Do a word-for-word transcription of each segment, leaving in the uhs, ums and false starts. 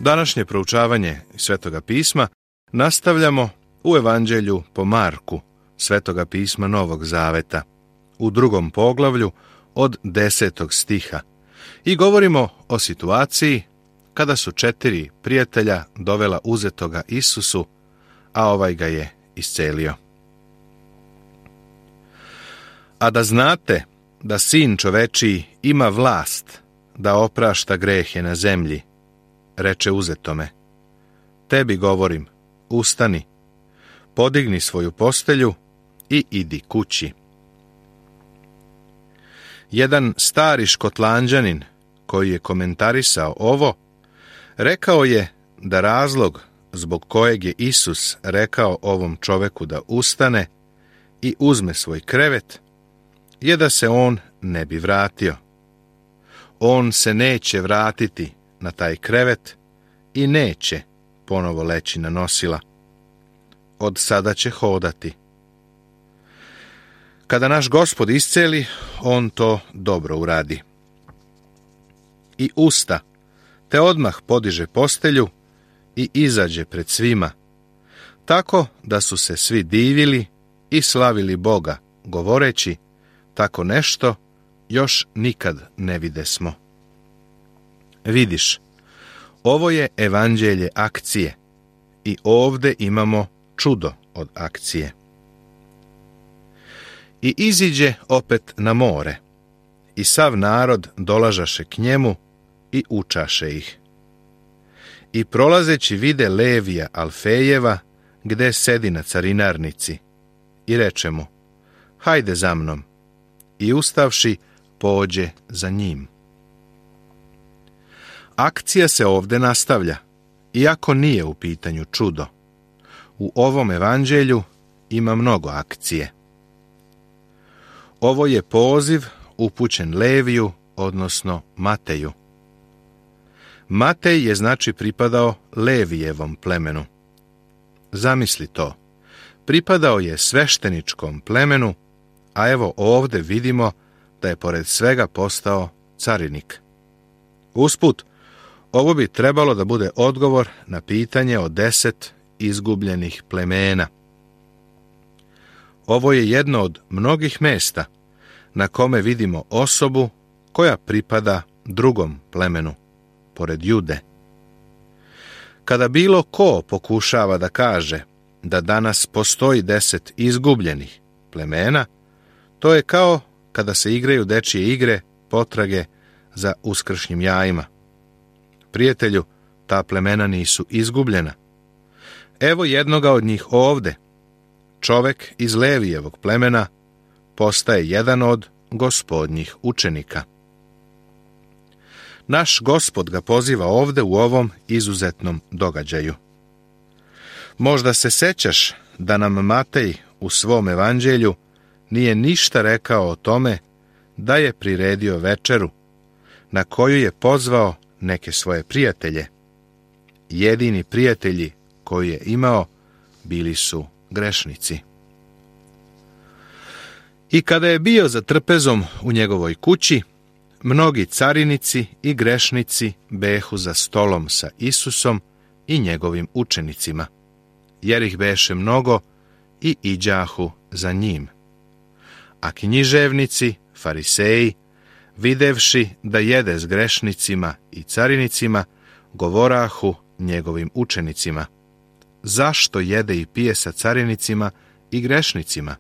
Današnje proučavanje Svetoga pisma nastavljamo u Evanđelju po Marku, Svetoga pisma Novog Zaveta, u drugom poglavlju od desetog stiha i govorimo o situaciji kada su četiri prijatelja dovela uzetoga Isusu, a ovaj ga je iscelio. A da znate da Sin čovečiji ima vlast da oprašta grehe na zemlji, reče uzetome, tebi govorim, ustani, podigni svoju postelju i idi kući. Jedan stari Škotlanđanin, koji je komentarisao ovo, rekao je da razlog zbog kojeg je Isus rekao ovom čoveku da ustane i uzme svoj krevet, je da se on ne bi vratio. On se neće vratiti na taj krevet i neće ponovo leći na nosila. Od sada će hodati. Kada naš Gospod isceli, on to dobro uradi. I usta, te odmah podiže postelju i izađe pred svima, tako da su se svi divili i slavili Boga, govoreći, tako nešto još nikad ne videsmo. Vidiš, ovo je evanđelje akcije i ovde imamo čudo od akcije. I iziđe opet na more, i sav narod dolažaše k njemu i učaše ih. I prolazeći vide Levija Alfejeva, gde sedi na carinarnici, i reče mu, hajde za mnom, i ustavši, pođe za njim. Akcija se ovde nastavlja, iako nije u pitanju čudo. U ovom evanđelju ima mnogo akcije. Ovo je poziv upućen Leviju, odnosno Mateju. Matej je znači pripadao Levijevom plemenu. Zamisli to, pripadao je svešteničkom plemenu, a evo ovde vidimo da je pored svega postao carinik. Usput, ovo bi trebalo da bude odgovor na pitanje o deset izgubljenih plemena. Ovo je jedno od mnogih mesta na kome vidimo osobu koja pripada drugom plemenu, pored Jude. Kada bilo ko pokušava da kaže da danas postoji deset izgubljenih plemena, to je kao kada se igraju dečije igre potrage za uskršnjim jajima. Prijatelju, ta plemena nisu izgubljena. Evo jednoga od njih ovde. Čovek iz Levijevog plemena postaje jedan od Gospodnjih učenika. Naš Gospod ga poziva ovde u ovom izuzetnom događaju. Možda se sećaš da nam Matej u svom evanđelju nije ništa rekao o tome da je priredio večeru, na koju je pozvao neke svoje prijatelje. Jedini prijatelji koji je imao bili su grešnici. I kada je bio za trpezom u njegovoj kući, mnogi carinici i grešnici behu za stolom sa Isusom i njegovim učenicima, jer ih beše mnogo i iđahu za njim. A književnici, fariseji, videvši da jede s grešnicima i carinicima, govorahu njegovim učenicima, zašto jede i pije sa carinicima i grešnicima?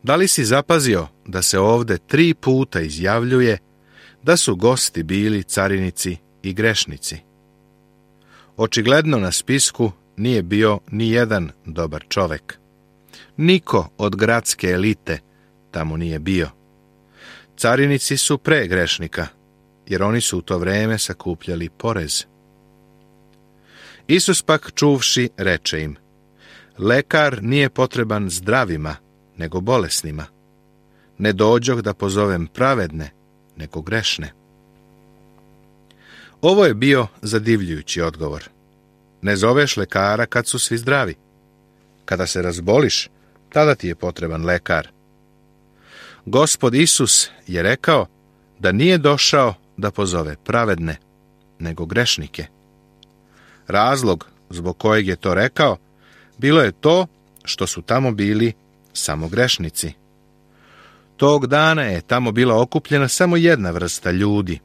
Da li si zapazio da se ovde tri puta izjavljuje da su gosti bili carinici i grešnici? Očigledno na spisku nije bio ni jedan dobar čovek. Niko od gradske elite tamo nije bio. Carinici su pre grešnika, jer oni su u to vreme sakupljali porez. Isus pak čuvši reče im, lekar nije potreban zdravima, nego bolesnima. Ne dođoh da pozovem pravedne, nego grešne. Ovo je bio zadivljujući odgovor. Ne zoveš lekara kad su svi zdravi. Kada se razboliš, tada ti je potreban lekar. Gospod Isus je rekao da nije došao da pozove pravedne, nego grešnike. Razlog zbog kojeg je to rekao bilo je to što su tamo bili samo grešnici. Tog dana je tamo bila okupljena samo jedna vrsta ljudi.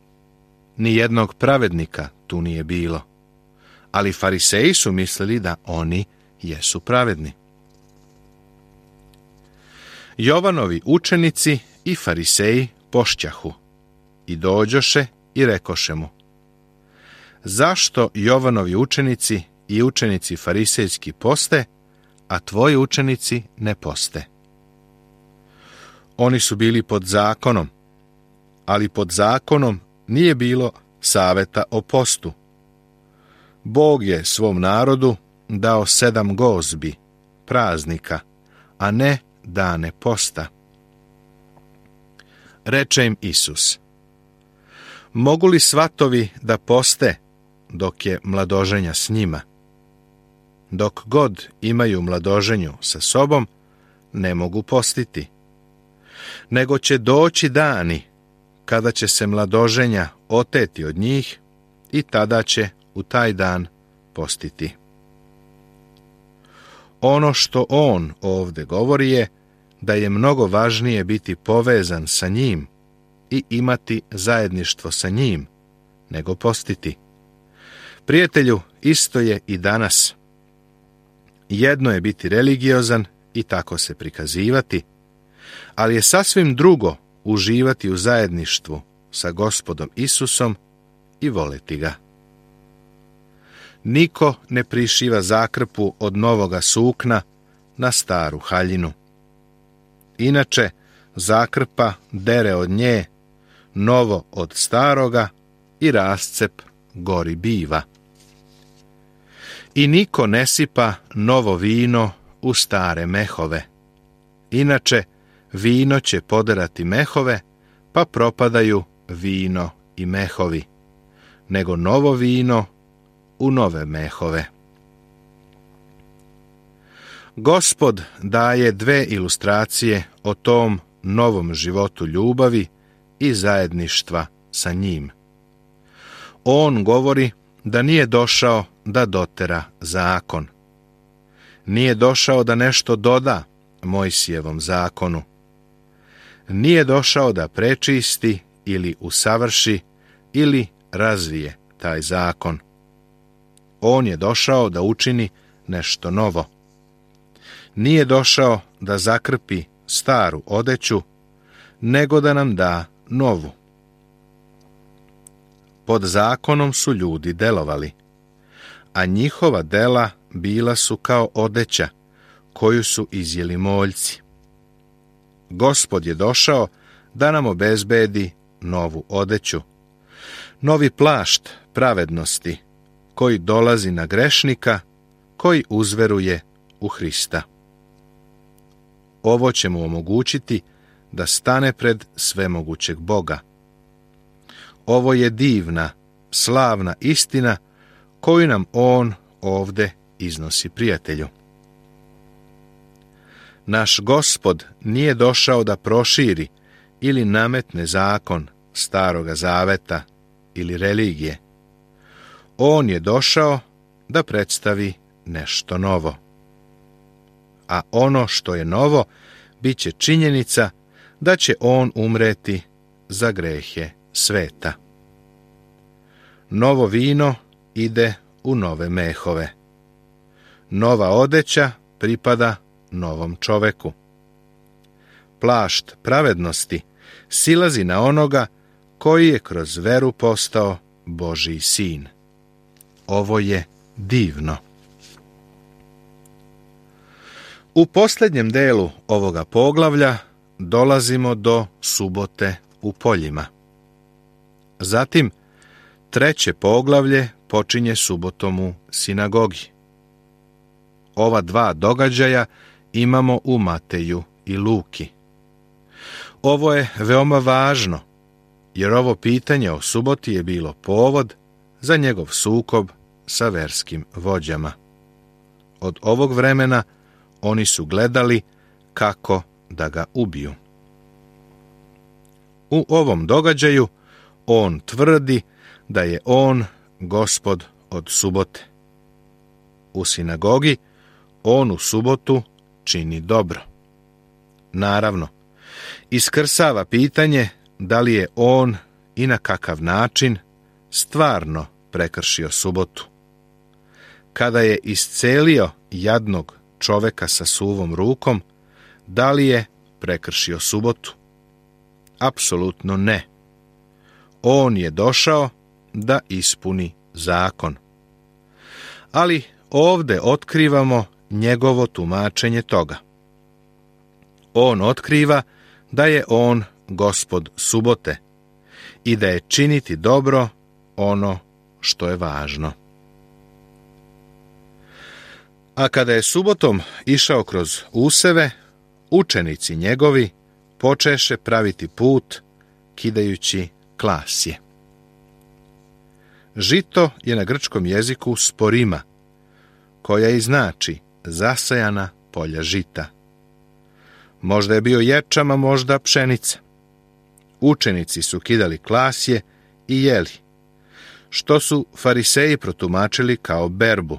Ni jednog pravednika tu nije bilo. Ali fariseji su mislili da oni jesu pravedni. Jovanovi učenici i fariseji pošćahu i dođoše i rekoše mu: zašto Jovanovi učenici i učenici farisejski poste, a tvoji učenici ne poste? Oni su bili pod zakonom, ali pod zakonom nije bilo saveta o postu. Bog je svom narodu dao sedam gozbi, praznika, a ne dane posta. Reče im Isus: mogu li svatovi da poste dok je mladoženja s njima? Dok god imaju mladoženju sa sobom, ne mogu postiti. Nego će doći dani kada će se mladoženja oteti od njih i tada će u taj dan postiti. Ono što on ovdje govori je da je mnogo važnije biti povezan sa njim i imati zajedništvo sa njim, nego postiti. Prijatelju, isto je i danas. Jedno je biti religiozan i tako se prikazivati, ali je sasvim drugo uživati u zajedništvu sa Gospodom Isusom i voleti ga. Niko ne prišiva zakrpu od novoga sukna na staru haljinu. Inače, zakrpa dere od nje, novo od staroga i rascep gori biva. I niko ne sipa novo vino u stare mehove. Inače, vino će poderati mehove, pa propadaju vino i mehovi, nego novo vino u nove mehove. Gospod daje dve ilustracije o tom novom životu ljubavi i zajedništva sa njim. On govori da nije došao da dotera zakon. Nije došao da nešto doda Mojsijevom zakonu. Nije došao da prečisti ili usavrši ili razvije taj zakon. On je došao da učini nešto novo. Nije došao da zakrpi staru odeću, nego da nam da novu. Pod zakonom su ljudi delovali, a njihova dela bila su kao odeća koju su izjeli moljci. Gospod je došao da nam obezbedi novu odeću, novi plašt pravednosti koji dolazi na grešnika koji uzveruje u Hrista. Ovo će mu omogućiti da stane pred svemogućeg Boga. Ovo je divna, slavna istina koju nam on ovdje iznosi, prijatelju. Naš Gospod nije došao da proširi ili nametne zakon Staroga Zaveta ili religije. On je došao da predstavi nešto novo. A ono što je novo bit će činjenica da će on umreti za grehe sveta. Novo vino ide u nove mehove. Nova odeća pripada novom čoveku. Plašt pravednosti silazi na onoga koji je kroz veru postao Božji sin. Ovo je divno. U posljednjem delu ovoga poglavlja dolazimo do subote u poljima. Zatim, treće poglavlje počinje subotom u sinagogi. Ova dva događaja imamo u Mateju i Luki. Ovo je veoma važno, jer ovo pitanje o suboti je bilo povod za njegov sukob sa verskim vođama. Od ovog vremena oni su gledali kako da ga ubiju. U ovom događaju on tvrdi da je on Gospod od subote. U sinagogi on u subotu čini dobro. Naravno, iskrsava pitanje da li je on i na kakav način stvarno prekršio subotu. Kada je iscelio jadnog čoveka sa suvom rukom, da li je prekršio subotu? Apsolutno ne. On je došao da ispuni zakon. Ali ovdje otkrivamo njegovo tumačenje toga. On otkriva da je on Gospod subote i da je činiti dobro ono što je važno. A kada je subotom išao kroz useve, učenici njegovi počeše praviti put kidajući klasje. Žito je na grčkom jeziku sporima, koja i znači zasajana polja žita. Možda je bio ječam, a možda pšenica. Učenici su kidali klasje i jeli, što su fariseji protumačili kao berbu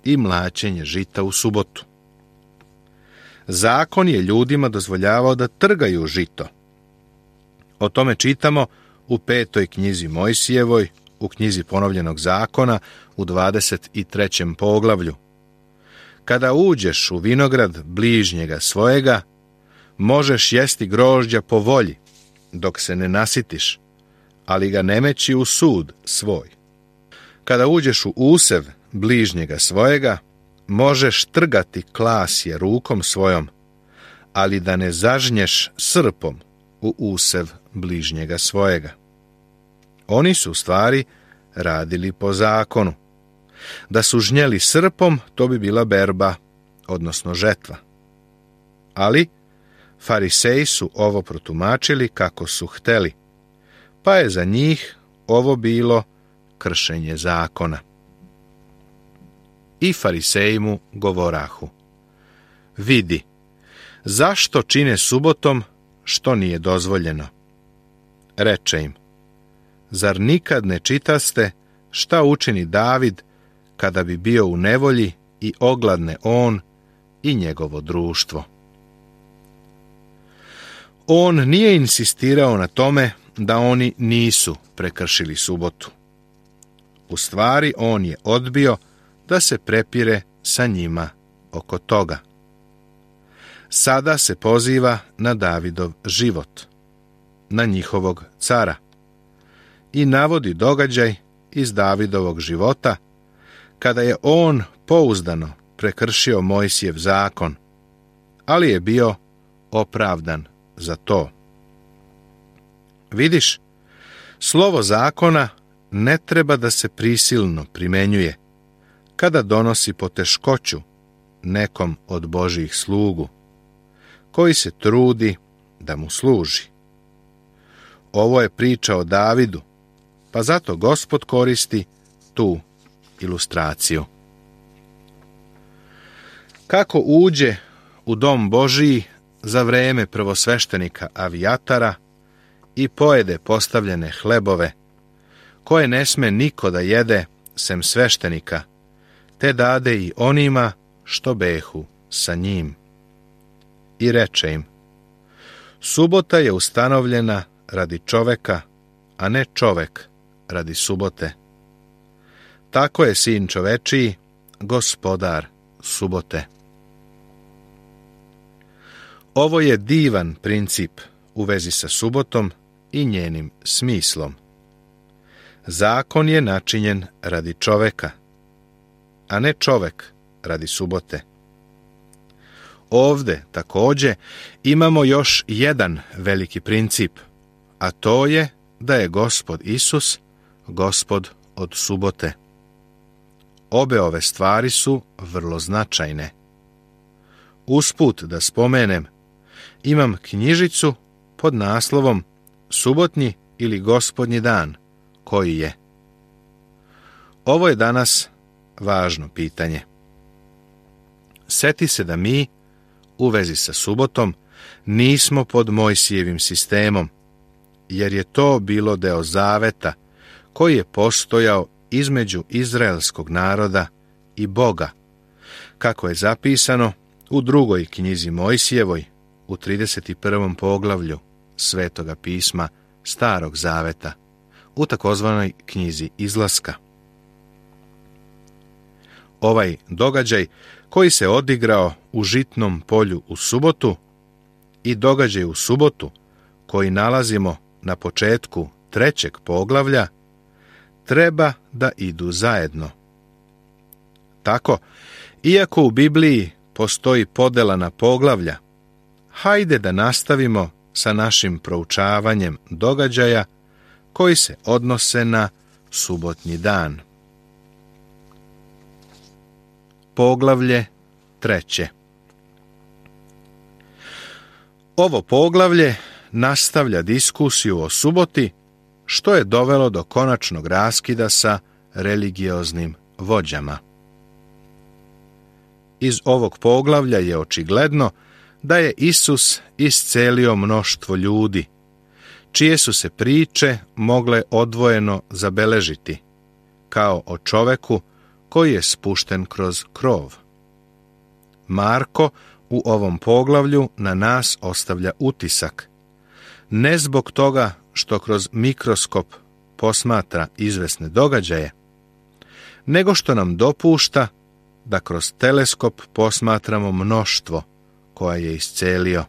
i mlaćenje žita u subotu. Zakon je ljudima dozvoljavao da trgaju žito. O tome čitamo u petoj knjizi Mojsijevoj, u knjizi ponovljenog zakona, u dvadeset trećem poglavlju. Kada uđeš u vinograd bližnjega svojega, možeš jesti grožđa po volji, dok se ne nasitiš, ali ga ne meći u sud svoj. Kada uđeš u usev bližnjega svojega, možeš trgati klasje rukom svojom, ali da ne zažnješ srpom u usev bližnjega svojega. Oni su u stvari radili po zakonu. Da su žnjeli srpom, to bi bila berba, odnosno žetva. Ali fariseji su ovo protumačili kako su hteli, pa je za njih ovo bilo kršenje zakona. I fariseji mu govorahu: vidi, zašto čine subotom što nije dozvoljeno? Reče im: zar nikad ne čitaste šta učini David kada bi bio u nevolji i ogladne on i njegovo društvo? On nije insistirao na tome da oni nisu prekršili subotu. U stvari, on je odbio da se prepire sa njima oko toga. Sada se poziva na Davidov život, na njihovog cara, i navodi događaj iz Davidovog života kada je on pouzdano prekršio Mojsijev zakon, ali je bio opravdan za to. Vidiš, slovo zakona ne treba da se prisilno primenjuje kada donosi poteškoću nekom od Božjih slugu, koji se trudi da mu služi. Ovo je priča o Davidu, pa zato Gospod koristi tu ilustraciju. Kako uđe u dom Božiji za vreme prvosveštenika Avijatara i pojede postavljene hlebove, koje ne sme niko da jede sem sveštenika, te dade i onima što behu sa njim. I reče im: subota je ustanovljena radi čoveka, a ne čovek radi subote. Tako je sin čovečiji gospodar subote. Ovo je divan princip u vezi sa subotom i njenim smislom. Zakon je načinjen radi čoveka, a ne čovek radi subote. Ovde takođe imamo još jedan veliki princip, a to je da je Gospod Isus Gospod od subote. Obe ove stvari su vrlo značajne. Usput da spomenem, imam knjižicu pod naslovom Subotnji ili Gospodnji dan, koji je. Ovo je danas važno pitanje. Seti se da mi, u vezi sa subotom, nismo pod Mojsijevim sistemom, jer je to bilo deo zaveta koji je postojao između izraelskog naroda i Boga, kako je zapisano u drugoj knjizi Mojsijevoj, u trideset prvom poglavlju Svetoga pisma Starog zaveta, u takozvanoj knjizi Izlaska. Ovaj događaj koji se odigrao u žitnom polju u subotu i događaj u subotu koji nalazimo na početku trećeg poglavlja treba da idu zajedno. Tako, iako u Bibliji postoji podela na poglavlja, hajde da nastavimo sa našim proučavanjem događaja koji se odnose na subotnji dan. Poglavlje treće. Ovo poglavlje nastavlja diskusiju o suboti, što je dovelo do konačnog raskida sa religioznim vođama. Iz ovog poglavlja je očigledno da je Isus iscelio mnoštvo ljudi, čije su se priče mogle odvojeno zabeležiti, kao o čoveku koji je spušten kroz krov. Marko u ovom poglavlju na nas ostavlja utisak, ne zbog toga što kroz mikroskop posmatra izvesne događaje, nego što nam dopušta da kroz teleskop posmatramo mnoštvo koja je iscelio.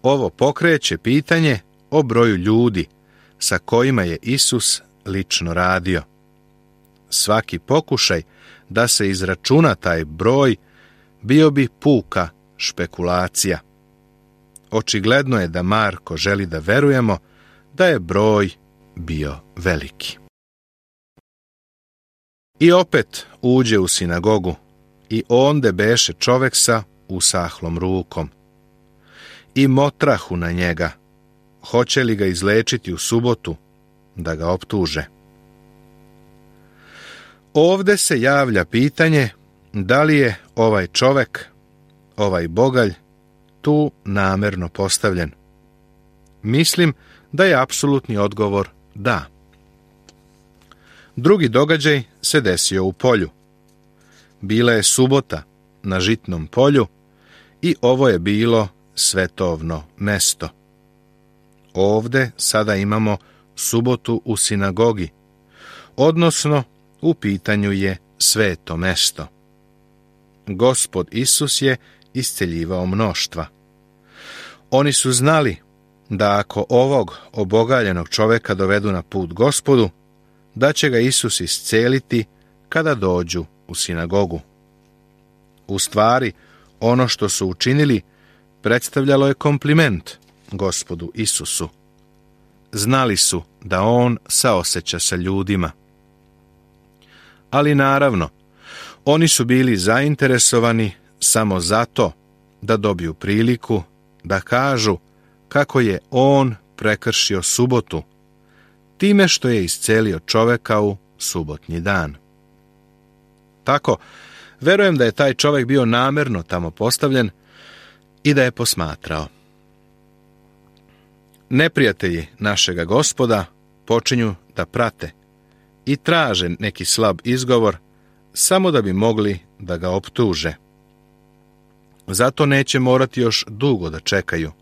Ovo pokreće pitanje o broju ljudi sa kojima je Isus lično radio. Svaki pokušaj da se izračuna taj broj bio bi puka špekulacija. Očigledno je da Marko želi da verujemo da je broj bio veliki. I opet uđe u sinagogu i onde beše čovek sa usahlom rukom. I motrahu na njega, hoće li ga izlečiti u subotu, da ga optuže. Ovde se javlja pitanje da li je ovaj čovek, ovaj bogalj, tu namerno postavljen. Mislim da je apsolutni odgovor da. Drugi događaj se desio u polju. Bila je subota na žitnom polju i ovo je bilo svetovno mesto. Ovde sada imamo subotu u sinagogi, odnosno u pitanju je sveto mesto. Gospod Isus je isceljivao mnoštva. Oni su znali da ako ovog obogaljenog čoveka dovedu na put Gospodu, da će ga Isus isceliti kada dođu u sinagogu. U stvari, ono što su učinili predstavljalo je kompliment Gospodu Isusu. Znali su da on saoseća sa ljudima. Ali naravno, oni su bili zainteresovani samo zato da dobiju priliku da kažu kako je on prekršio subotu, time što je iscelio čoveka u subotnji dan. Tako, verujem da je taj čovek bio namerno tamo postavljen i da je posmatrao. Neprijatelji našega Gospoda počinju da prate i traže neki slab izgovor samo da bi mogli da ga optuže. Zato neće morati još dugo da čekaju,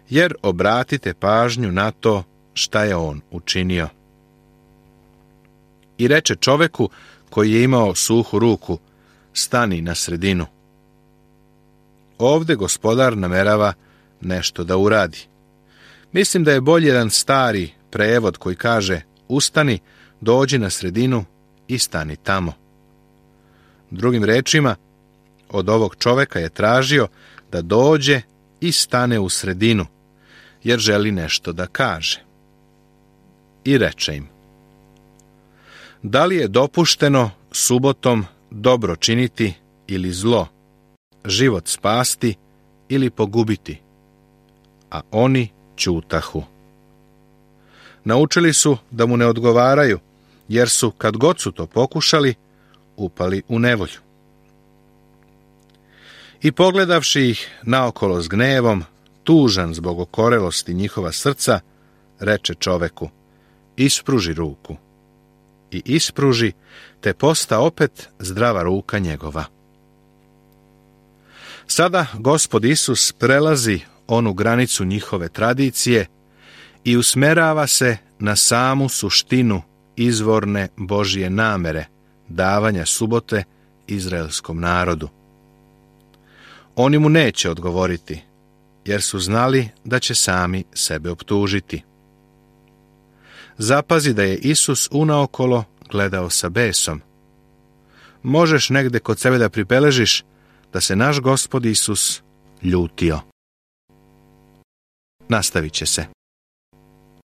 jer obratite pažnju na to šta je on učinio. I reče čoveku koji je imao suhu ruku, stani na sredinu. Ovde Gospodar namerava nešto da uradi. Mislim da je bolje jedan stari prevod koji kaže ustani, dođi na sredinu i stani tamo. Drugim rečima, od ovog čoveka je tražio da dođe i stane u sredinu, jer želi nešto da kaže. I reče im: da li je dopušteno subotom dobro činiti ili zlo, život spasti ili pogubiti? A oni ćutahu. Naučili su da mu ne odgovaraju, jer su, kad god su to pokušali, upali u nevolju. I pogledavši ih naokolo s gnevom, tužan zbog okorelosti njihova srca, reče čoveku: ispruži ruku. i ispruži, te posta opet zdrava ruka njegova. Sada Gospod Isus prelazi onu granicu njihove tradicije i usmerava se na samu suštinu izvorne Božje namere, davanja subote izraelskom narodu. Oni mu neće odgovoriti, jer su znali da će sami sebe optužiti. Zapazi da je Isus unaokolo gledao sa besom. Možeš negde kod sebe da pribeležiš da se naš Gospod Isus ljutio. Nastavit će se.